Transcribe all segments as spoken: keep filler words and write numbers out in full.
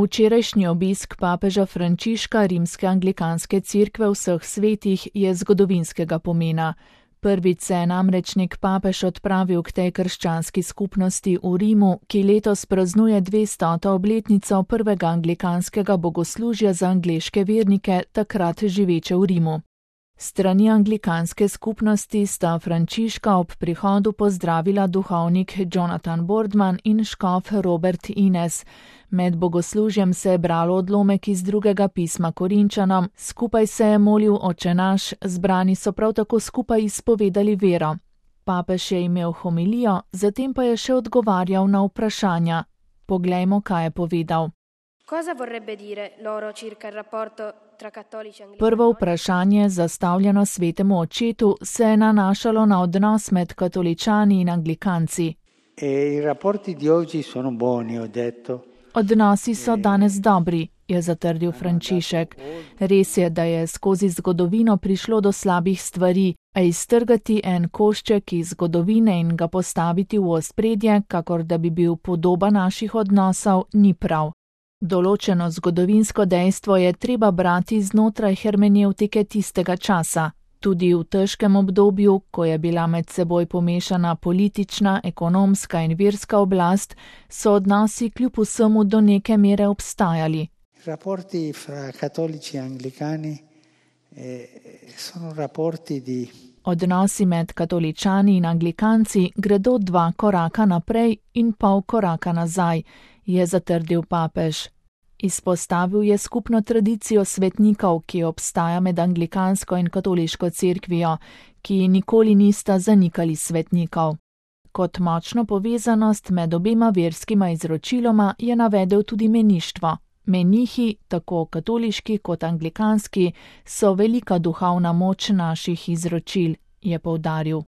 Včerajšnji obisk papeža Frančiška rimske anglikanske cerkve vseh svetih je zgodovinskega pomena. Prvič se je namreč nek papež odpravil k tej krščanski skupnosti v Rimu, ki letos praznuje dvestoto obletnico prvega anglikanskega bogoslužja za angleške vernike, takrat živeče v Rimu. Strani anglikanske skupnosti sta Frančiška ob prihodu pozdravila duhovnik Jonathan Boardman in škof Robert Innes. Med bogoslužjem se je bralo odlomek iz drugega pisma Korinčanom, skupaj se je molil Oče naš, zbrani so prav tako skupaj izpovedali vero. Papež je imel homilijo, zatem pa je še odgovarjal na vprašanja. Poglejmo, kaj je povedal. Prvo vprašanje, zastavljeno svetemu očetu, se je nanašalo na odnos med katoličani in anglikanci. Odnosi so danes dobri, je zatrdil Frančišek. Res je, da je skozi zgodovino prišlo do slabih stvari, a iztrgati en košček iz zgodovine in ga postaviti v ospredje, kakor da bi bil podoba naših odnosov, ni prav. Določeno zgodovinsko dejstvo je treba brati znotraj hermenevtike tistega časa. Tudi v težkem obdobju, ko je bila med seboj pomešana politična, ekonomska in verska oblast, so odnosi kljub vsemu do neke mere obstajali. Rapporti fra katolici in anglikani sono rapporti di... Odnosi med katoličani in anglikanci gredo dva koraka naprej in pol koraka nazaj, je zatrdil papež. Izpostavil je skupno tradicijo svetnikov, ki obstaja med anglikansko in katoliško cerkvijo, ki nikoli nista zanikali svetnikov. Kot močno povezanost med obema verskima izročiloma je navedel tudi meništvo. Menihi, tako katoliški kot anglikanski, so velika duhovna moč naših izročil, je poudaril.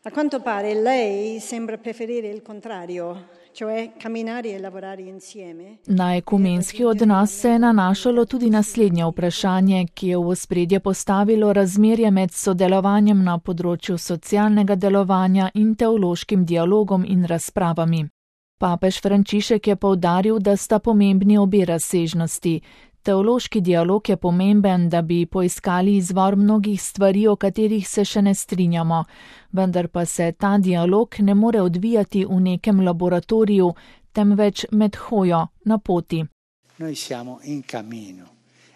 A quanto pare lei sembra preferire il contrario, cioè camminare e lavorare insieme. Na ekumenski odnos se je nanašalo tudi naslednje vprašanje, ki je v ospredje postavilo razmerje med sodelovanjem na področju socialnega delovanja in teološkim dialogom in razpravami. Papež Frančišek je poudaril, da sta pomembni obe razsežnosti. Teološki dialog je pomemben, da bi poiskali izvor mnogih stvari, o katerih se še ne strinjamo, vendar pa se ta dialog ne more odvijati v nekem laboratoriju, temveč med hojo, na poti. Noi siamo in cammino.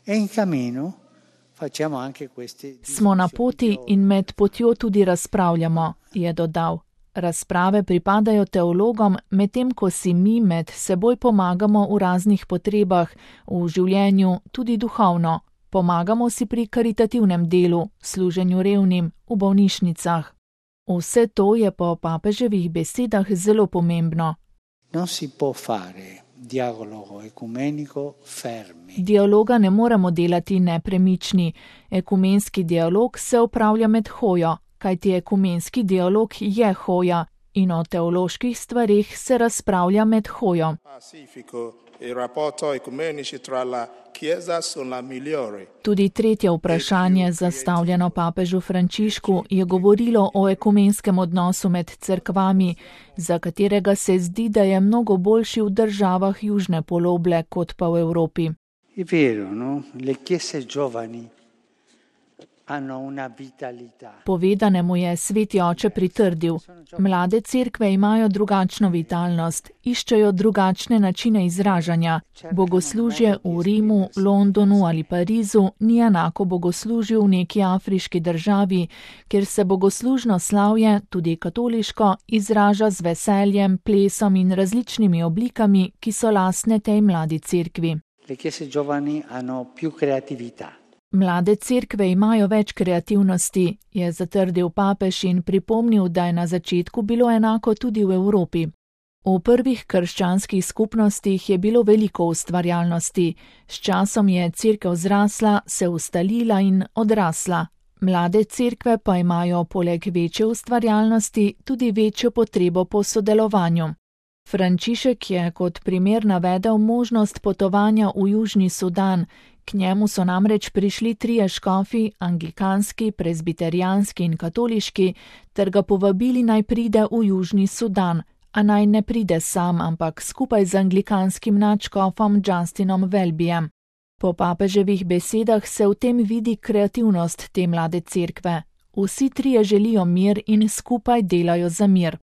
E in cammino facciamo anche queste... Smo na poti in med potjo tudi razpravljamo, je dodal. Razprave pripadajo teologom, medtem ko si mi med seboj pomagamo v raznih potrebah, v življenju, tudi duhovno. Pomagamo si pri karitativnem delu, služenju revnim, v bolnišnicah. Vse to je po papeževih besedah zelo pomembno. Non si può fare dialogo ecumenico fermi. Dialoga ne moremo delati nepremični. Ekumenski dialog se opravlja med hojo, kajti ekumenski dialog je hoja in o teoloških stvareh se razpravlja med hojo. Tudi tretje vprašanje, zastavljeno papežu Frančišku, je govorilo o ekumenskem odnosu med cerkvami, za katerega se zdi, da je mnogo boljši v državah južne poloble kot pa v Evropi. Je vero, no? Le chiese giovani hanno una vitalità. Povedanemu je sveti oče pritrdil. Mlade cerkve imajo drugačno vitalnost, iščejo drugačne načine izražanja. Bogoslužje v Rimu, Londonu ali Parizu ni enako bogoslužju v neki afriški državi, kjer se bogoslužno slavje, tudi katoliško, izraža z veseljem, plesom in različnimi oblikami, ki so lastne tej mladi cerkvi. Le chiese giovani hanno più creatività. Mlade cerkve imajo več kreativnosti, je zatrdil papež in pripomnil, da je na začetku bilo enako tudi v Evropi. V prvih krščanskih skupnostih je bilo veliko ustvarjalnosti, s časom je cerkev zrasla, se ustalila in odrasla. Mlade cerkve pa imajo poleg večje ustvarjalnosti tudi večjo potrebo po sodelovanju. Frančišek je kot primer navedel možnost potovanja v Južni Sudan. K njemu so namreč prišli trije škofi, anglikanski, prezbiterijanski in katoliški, ter ga povabili naj pride v Južni Sudan, a naj ne pride sam, ampak skupaj z anglikanskim nadškofom Justinom Welbyjem. Po papeževih besedah se v tem vidi kreativnost te mlade cerkve. Vsi trije želijo mir in skupaj delajo za mir.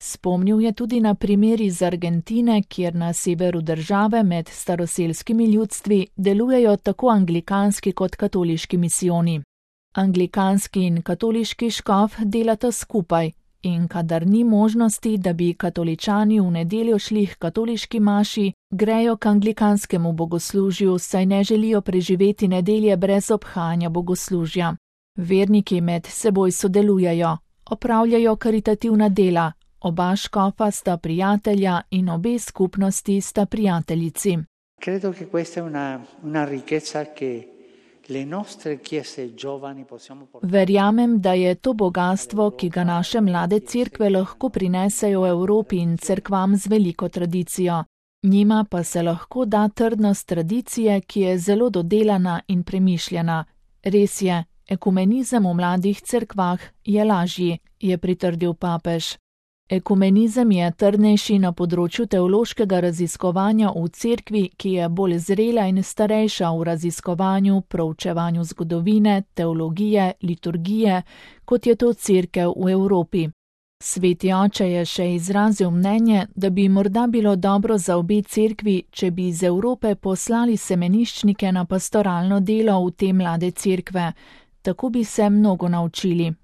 Spomnil je tudi na primer iz Argentine, kjer na severu države med staroselskimi ljudstvi delujejo tako anglikanski kot katoliški misijoni. Anglikanski in katoliški škof delata skupaj in kadar ni možnosti, da bi katoličani v nedeljo šli k katoliški maši, grejo k anglikanskemu bogoslužju, saj ne želijo preživeti nedelje brez obhajanja bogoslužja. Verniki med seboj sodelujejo, opravljajo karitativna dela, oba škofa sta prijatelja in obe skupnosti sta prijateljici. Credo che questa è una, una ricchezza che le nostre chiese giovani possiamo portare. Verjamem, da je to bogastvo, ki ga naše mlade cerkve lahko prinesejo v Evropi in cerkvam z veliko tradicijo. Njima pa se lahko da trdnost tradicije, ki je zelo dodelana in premišljena. Res je, ekumenizem v mladih cerkvah je lažji, je pritrdil papež. Ekumenizem je trdnejši na področju teološkega raziskovanja v cerkvi, ki je bolj zrela in starejša v raziskovanju, proučevanju zgodovine, teologije, liturgije, kot je to cerkev v Evropi. Sveti oče je še izrazil mnenje, da bi morda bilo dobro za obe cerkvi, če bi iz Evrope poslali semeniščnike na pastoralno delo v te mlade cerkve. Tako bi se mnogo naučili.